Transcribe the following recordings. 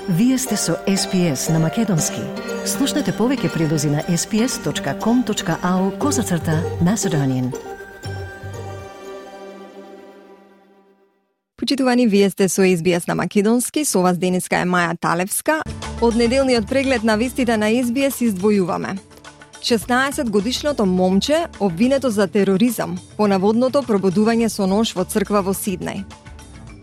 Вие сте со SPS на Македонски. Слушнете повеќе прилози на sps.com.au/Macedonian. Почитувани, вие сте со SBS на Македонски, со вас денеска е Маја Талевска. Од неделниот преглед на вестите на SBS издвојуваме 16-годишното момче обвинето за тероризам по наводното пробудување со нож во црква во Сиднеј.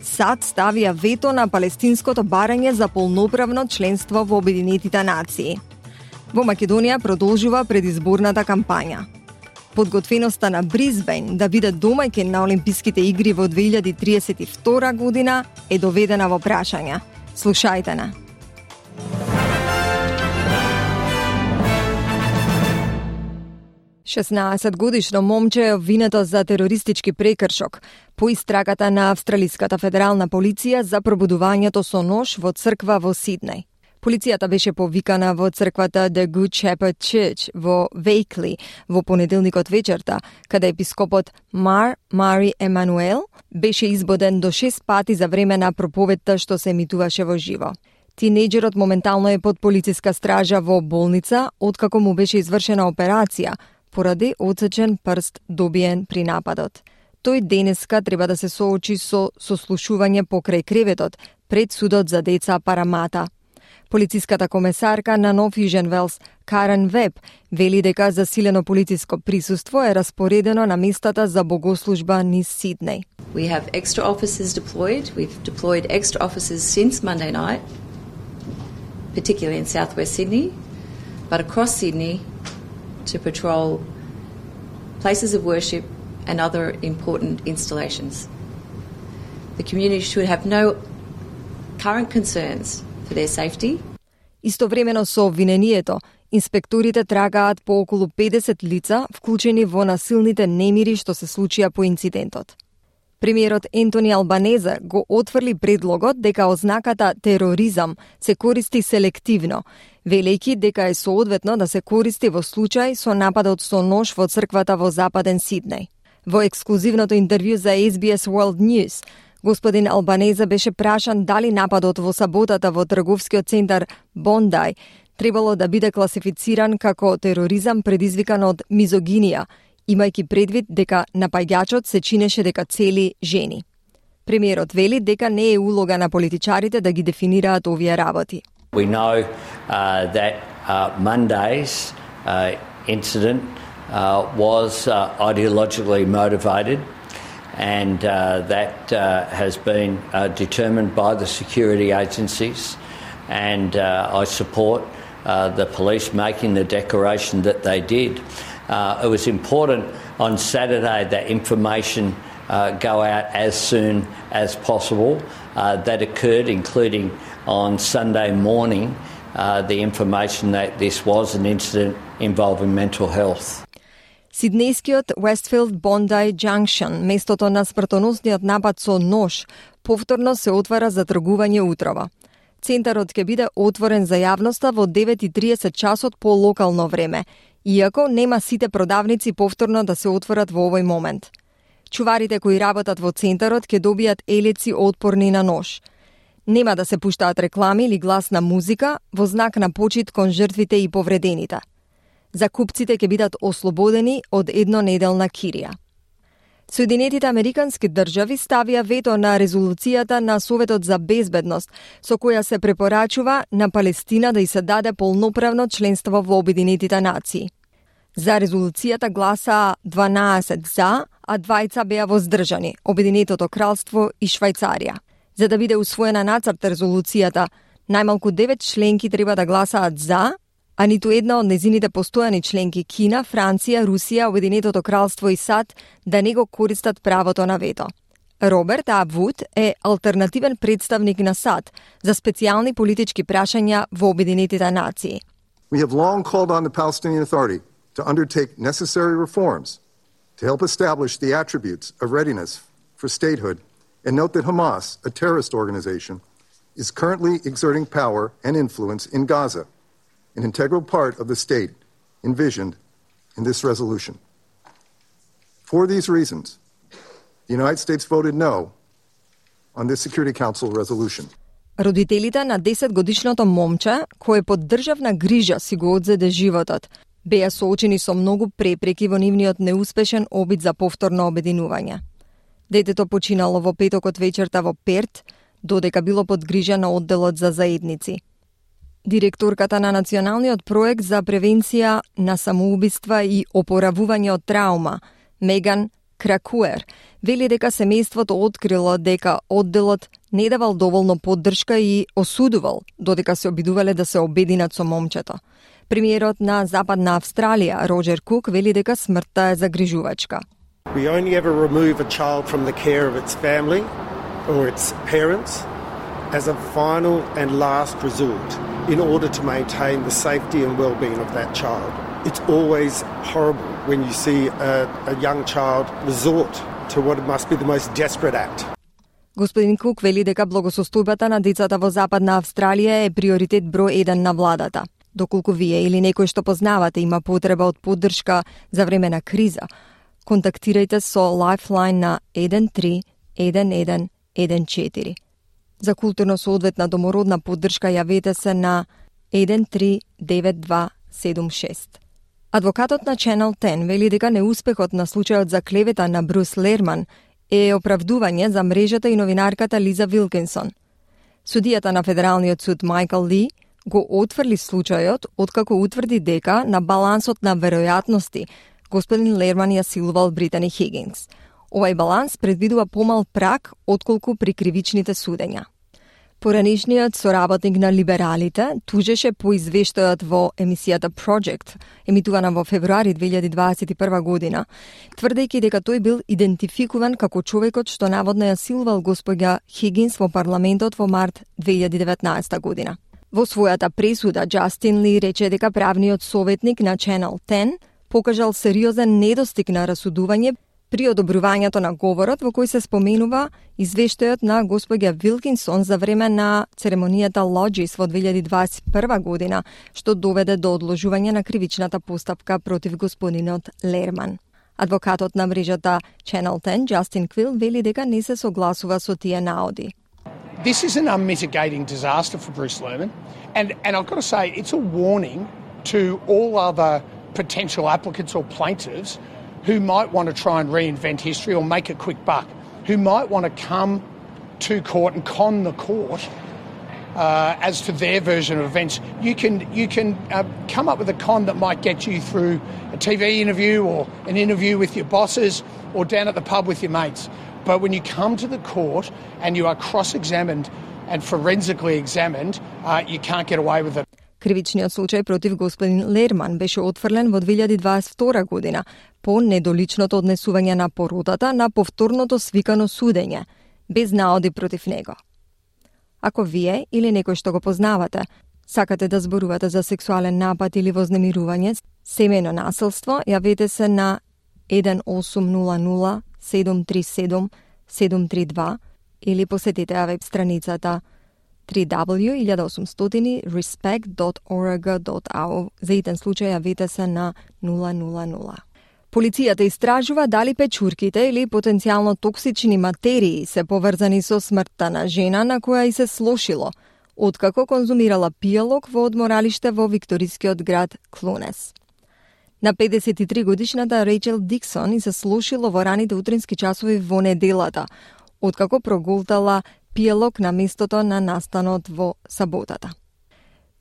САД ставија вето на палестинското барање за полноправно членство во Обединетите нации. Во Македонија продолжува предизборната кампања. Подготвеноста на Брисбејн да биде домаќин на Олимписките игри во 2032 година е доведена во прашање. Слушајте на. Шеснаесетгодишно момче е обвинето за терористички прекршок по истрагата на Австралиската федерална полиција за пробудувањето со нож во црква во Сиднеј. Полицијата беше повикана во црквата The Good Shepherd Church во Вејкли во понеделникот вечерта, каде епископот Мари Емануел беше избоден до 6 пати за време на проповедта што се емитуваше во живо. Тинејџерот моментално е под полициска стража во болница, откако му беше извршена операција, поради отсечен прст добиен при нападот. Тој денеска треба да се соочи со сослушување покрај креветот пред судот за деца Парамата. Полициската комесарка на Нов Южен Велс, Карен Веб, вели дека засилено полициско присуство е распоредено на местата за богослужба низ Сиднеј. We have extra officers deployed. We've deployed extra officers since Monday night, particularly in southwest Sydney, but across Sydney to patrol places of worship and other important installations. The community should have no current concerns for their safety. Истовремено со обвинението, инспекторите трагаат по околу 50 лица вклучени во насилните немири што се случија по инцидентот. Премиерот Ентони Албанезе го отфрли предлогот дека ознаката тероризам се користи селективно, велејќи дека е соодветно да се користи во случај со нападот со нож во црквата во Западен Сиднеј. Во ексклузивното интервју за SBS World News, господин Албанезе беше прашан дали нападот во саботата во трговскиот центар Бондај требало да биде класифициран како тероризам предизвикан од мизогинија, имајќи предвид дека напаѓачот се чинеше дека цели жени. Премиерот вели дека не е улога на политичарите да ги дефинираат овие работи. We know that Monday's incident was ideologically motivated, and that has been determined by the security agencies, and I support the police making the declaration that they did. It was important on Saturday that information go out as soon as possible. That occurred, including on Sunday morning, the information that this was an incident involving mental health. Сиднејскиот Westfield Bondi Junction, местото на смртоносниот напад со нож, повторно се отвара за тргување утрово. Центарот ќе биде отворен за јавноста во 9:30 часот по локално време, иако нема сите продавници повторно да се отворат во овој момент. Чуварите кои работат во центарот ќе добијат елеци отпорни на нож. Нема да се пуштаат реклами или гласна музика во знак на почит кон жртвите и повредените. Закупците ќе бидат ослободени од еднонеделна кирија. Соединетите Американски држави ставија вето на резолуцијата на Советот за безбедност, со која се препорачува на Палестина да ѝ се даде полноправно членство во Обединетите нации. За резолуцијата гласаа 12 за, а 2 беа воздржани, Обединетото кралство и Швајцарија. За да биде усвоена нацрт резолуцијата, најмалку 9 членки треба да гласаат за, а ниту една од незините постојани членки Кина, Франција, Русија, Обединетото кралство и САД да не го користат правото на вето. Роберт Абвуд е алтернативен представник на САД за специјални политички прашања во Обединетите нации. We have long called on the Palestinian Authority to undertake necessary reforms to help establish the attributes of readiness for statehood and note that Hamas, a terrorist organization, is currently exerting power and influence in Gaza, an integral part of the state envisioned in this resolution. For these reasons, the United States voted no on this Security Council resolution. Родителите на 10-годишното момче, кое под државна грижа си го одзеде животот, беа соочени со многу препреки во нивниот неуспешен обид за повторно обединување. Детето починало во петокот вечерта во Перт, додека било под грижа на одделот за заедници. Директорката на Националниот проект за превенција на самоубиства и опоравување од траума, Меган Кракуер, вели дека семејството открило дека одделот не давал доволно поддршка и осудувал додека се обидувале да се обединат со момчето. Премиерот на Западна Австралија, Роджер Кук, вели дека смртта е загрижувачка. We only ever remove a child from the care of its family or its parents as a final and last resort in order to maintain the safety and well-being of that child. It's always horrible when you see a young child resort to what must be the most desperate act. Господин Кук вели дека благосостојбата на децата во Западна Австралија е приоритет број 1 на владата. Доколку вие или некој што познавате има потреба од поддршка за време на криза, контактирајте со Lifeline на 131114. За културно соодветна домородна поддршка јавете се на 139276. Адвокатот на Channel 10 вели дека неуспехот на случајот за клевета на Брус Лерман е оправдување за мрежата и новинарката Лиза Вилкинсон. Судијата на Федералниот суд Майкл Ли го отфрли случајот откако утврди дека на балансот на веројатности господин Лерман ја силувал Британи Хигинс. Овај баланс предвидува помал праг отколку при кривичните судења. Поранишниот соработник на либералите тужеше по извештајот во емисијата Project, емитувана во февруари 2021 година, тврдејќи дека тој бил идентификуван како човекот што наводно ја силувал госпоѓа Хигинс во парламентот во март 2019 година. Во својата пресуда, Джастин Ли рече дека правниот советник на Channel 10 покажал сериозен недостиг на расудување при одобрувањето на говорот во кој се споменува извештајот на госпоѓа Вилкинсон за време на церемонијата Lodges во 2021 година, што доведе до одложување на кривичната постапка против господинот Лерман. Адвокатот на мрежата Channel 10, Justin Quill, вели дека не се согласува со тие наоди. This is an unmitigating disaster for Bruce Lerman, and I've got to say it's a warning to all other potential applicants or plaintiffs who might want to try and reinvent history or make a quick buck, who might want to come to court and con the court as to their version of events. You can come up with a con that might get you through a TV interview or an interview with your bosses or down at the pub with your mates. But when you come to the court and you are cross-examined and forensically examined, you can't get away with it. Кривичниот случај против господин Лерман беше отфрлен во 2022 година по недоличното однесување на породата на повторното свикано судење, без наоди против него. Ако вие или некој што го познавате, сакате да зборувате за сексуален напад или вознемирување, семејно насилство, јавете се на 1800 737 732 или посетете ја веб страницата www.1800respect.org.au. За итен случај јавете се на 000. Полицијата истражува дали печурките или потенцијално токсични материи се поврзани со смртта на жена на која и се слошило, откако конзумирала пијалок во одморалиште во викторискиот град Клунес. На 53 годишната Рейчел Диксон и се слошило во раните утрински часови во неделата, откако проголтала пијалок на местото на настанот во саботата.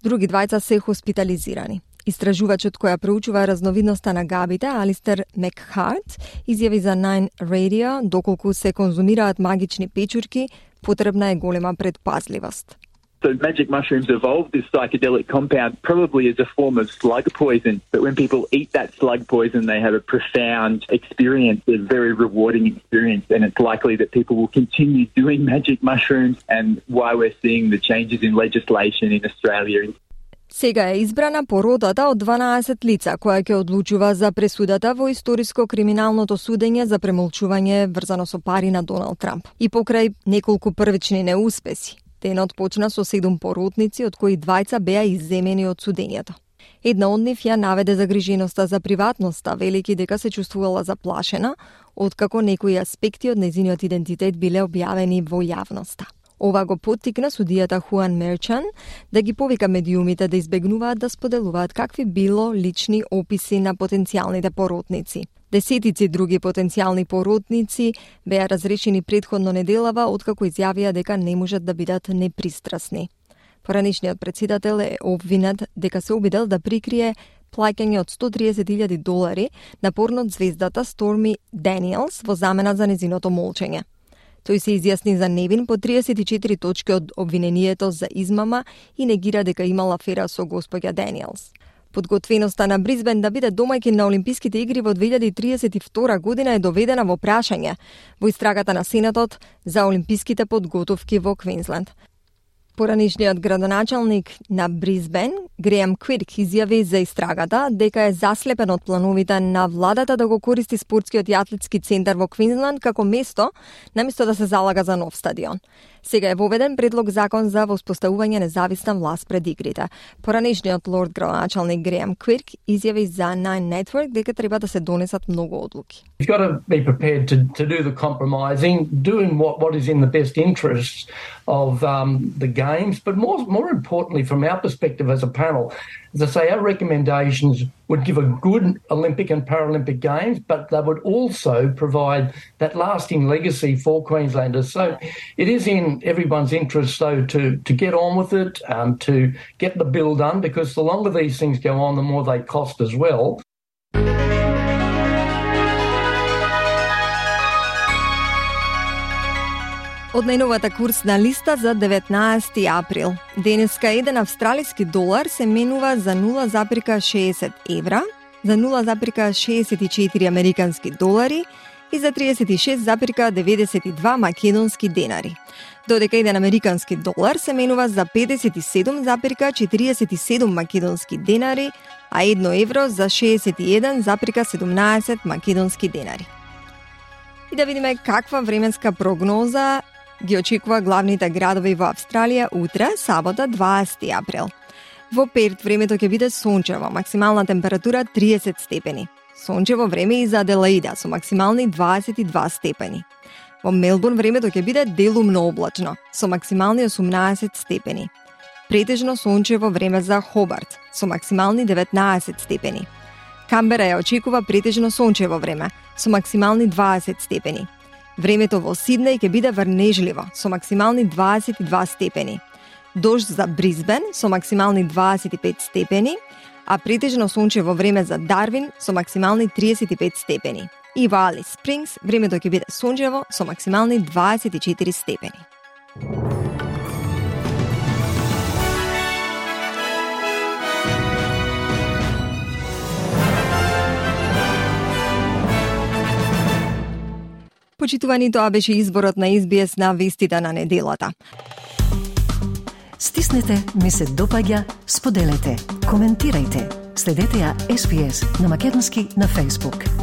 Други двајца се хоспитализирани. Истражувачот која проучува разновидноста на габите, Алистер Мекхарт, изјави за Nine Radio, доколку се конзумираат магични печурки, потребна е голема предпазливост. So magic mushrooms evolved this psychedelic compound probably as a form of slug poison, but when people eat that slug poison, they have a profound experience, a very rewarding experience, and it's likely that people will continue doing magic mushrooms, and why we're seeing the changes in legislation in Australia. Сега е избрана породата од 12 лица, која ќе одлучува за пресудата во историско-криминалното судење за премолчување врзано со пари на Доналд Трамп. И покрај неколку првични неуспеси, денот почна со 7 поротници, од кои двајца беа изземени од судењето. Една од нив ја наведе загриженоста за приватноста, велики дека се чувствувала заплашена, откако некои аспекти од нејзиниот идентитет биле објавени во јавноста. Ова го поттикна судијата Хуан Мерчан да ги повика медиумите да избегнуваат да споделуваат какви било лични описи на потенцијалните поротници. Десетици други потенцијални поротници беа разрешени претходно неделава откако изјавија дека не можат да бидат непристрасни. Поранишниот председател е обвинет дека се обидел да прикрие плаќање од $130,000 на порнот звездата Сторми Даниелс во замена за незиното молчење. Тој се изјасни за невин по 34 точки од обвинението за измама и негира дека имал афера со господја Даниелс. Подготвеноста на Брисбен да биде домаќин на Олимписките игри во 2032 година е доведена во прашање во истрагата на Сенатот за олимписките подготовки во Квинсленд. Поранишниот градоначалник на Брисбен, Греем Квирк, изјави за истрагата дека е заслепен од плановите на владата да го користи спортскиот и атлетски центар во Квинсленд како место, наместо да се залага за нов стадион. Сега е воведен предлог закон за воспоставување независна власт пред игрите. Поранишниот лорд градоначалник Греем Квирк изјави за Nine Network дека треба да се донесат многу одлуки. You've got to be prepared to do the compromising, doing what is in the best interests of the games, but more importantly, from our perspective as a panel, as I say, our recommendations would give a good Olympic and Paralympic Games, but they would also provide that lasting legacy for Queenslanders. So it is in everyone's interest, though, to get on with it, to get the bill done, because the longer these things go on, the more they cost as well. Од најновата курсна листа за 19 април. Денеска еден австралиски долар се менува за 0,60 евра, за 0,64 американски долари и за 36,92 македонски денари. Додека еден американски долар се менува за 57,47 македонски денари, а 1 евро за 61,17 македонски денари. И да видиме каква временска прогноза ги очекува главните градови во Австралија утре, сабота 20 април. Во Перт времето ќе биде сончево, максимална температура 30 степени. Сончево време и за Аделаида со максимални 22 степени. Во Мелбурн времето ќе биде делумно облачно со максимални 18 степени. Претежно сончево време за Хобарт со максимални 19 степени. Камбера ја очекува претежно сончево време со максимални 20 степени. Времето во Сиднеј ќе биде врнежливо со максимални 22 степени. Дожд за Брисбен со максимални 25 степени, а претежно сончево време за Дарвин со максимални 35 степени. И во Алис Спрингс времето ќе биде сончево со максимални 24 степени. Почитувани, тоа беше изборот на SBS на вестите на неделата. Стиснете, ми се допаѓа, споделете, коментирајте. Следете ја SBS на македонски на Facebook.